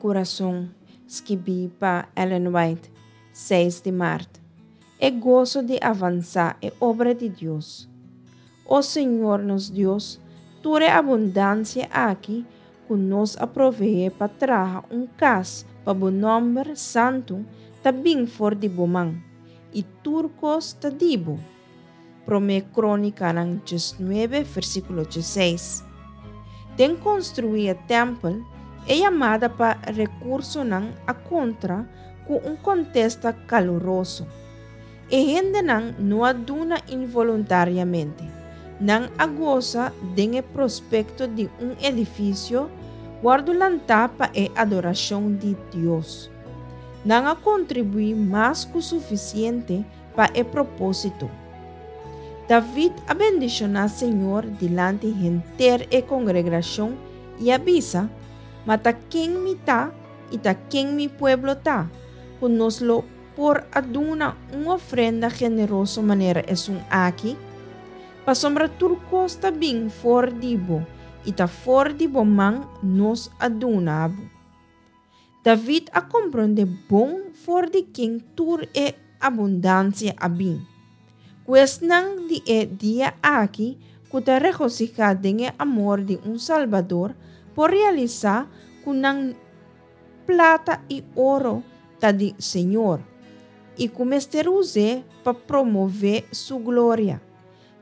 kurason, skibí pa Ellen White, seis di mart. E goso di avansá e obra di Dios. O Señor nos Dios, tur e abundansia aki ku nos a proveé pa traha un kas pa bo nòmber santu ta bin for di bo man, i tur kos ta di bo. Promé Krónikanan 19, versíkulo 16. Den konstruí e tèmpel, e yamada pa rekursonan a kontra ku un kontesta kaluroso. E hendenan no a duna involuntariamente. Nan a gosa den e prospekto di un edifisio wòrdu lantá pa e adorashon di Dios. Nan a kontribuí mas ku sufisiente pa e propósito. David a bendishoná Señor dilanti henter e kongregrashon i a bisa, Ma ta ken mi ta i ta ken mi pueblo ta, ku nos lo por a duna un ofrenda generoso manera esun aki? Pasobra tur kos ta bin for di bo, i ta for di bo man nos a duna bo. David a komprondé bon for di ken tur e abundansia a bin. Ku esnan di e dia aki ku ta regosihá den e amor di un Salbador por realisá ku nan plata i oro ta di Señor i ku mester us'é pa promové Su gloria.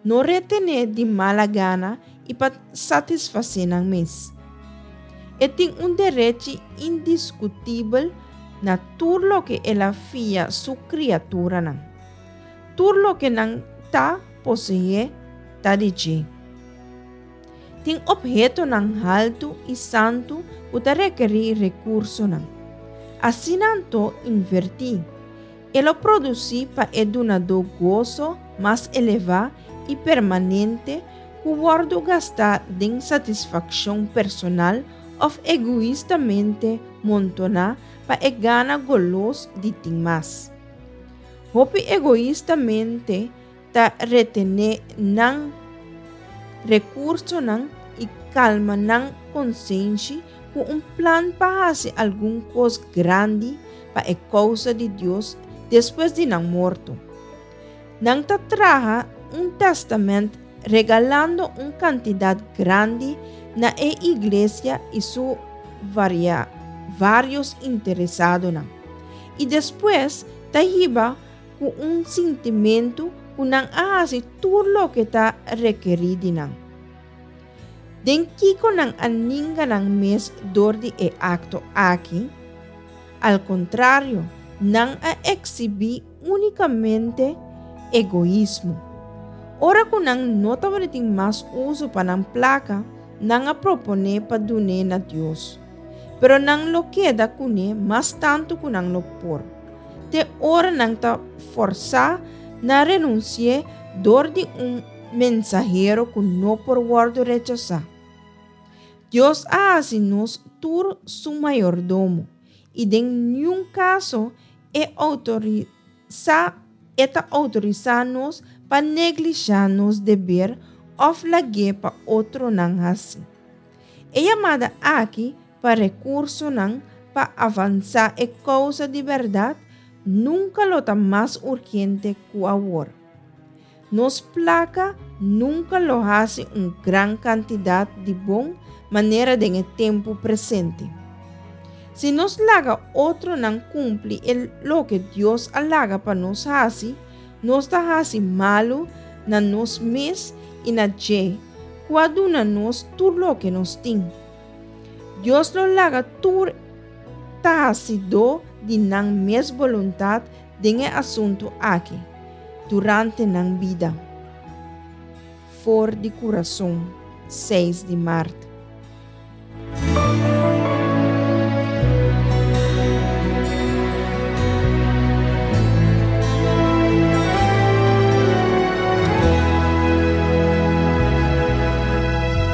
No retené di mala gana i pa satisfasé nan mes. E tin un derechi indiskutibel na tur loke el a fia su kriaturanan. Tur loke nan ta poseé ta di dje. Tin ophetonan haltu i santu ku ta rekerí rekursonan. Asina anto invertí. E lo produsí pa e dunadó goso mas elevá i permanente ku wòrdu gastá den satisfakshon personal òf egoistamente montoná pa e gana golos di tin mas. Hopi egoistamente ta retené nan rekursonan i kalma nan konsenshi ku un plan pa hasi algun kos grandi pa e kousa di Dios despues di nan morto. Nan ta traha un tèstamènt regalando un kantidat grandi na e iglesia i su vários interesadonan, i despues ta hiba ku un sintimentu ku nan a hasi tur loke ta rekerí di nan. Den kiko nan a ninga nan mes dor di e akto aki? Al kontrario, nan a eksibí únikamente egoismo. Ora ku nan no tabatin mas uso pa nan plaka, nan a proponé pa dun'é na Dios. Pero nan lo keda kuné mas tantu ku nan lo por. Te ora nan ta forsá na renunsi'é dor di un mensahero ku no por wòrdu rechasá. Dios a hasi nos tur su mayordomo, i den niun kaso e outorisá e ta outorisá nos pa neglishá nos deber òf lag'é pa otronan hasi. E yamada aki pa rekursonan pa avansá e kousa di bèrdat nunka lo ta mas urgente ku awor. Nos plaka nunka lo hasi un gran kantidat di bon manera den e tempu presente. Si nos laga otronan kumpli e loke Dios a laga pa nos hasi, nos ta hasi malu na nos mes i na dje ku a duna nos tur loke nos tin. Dios lo laga tur ta hasidó di nan mes boluntat den e asuntu aki durante nan bida. For di kurason, seis di mart.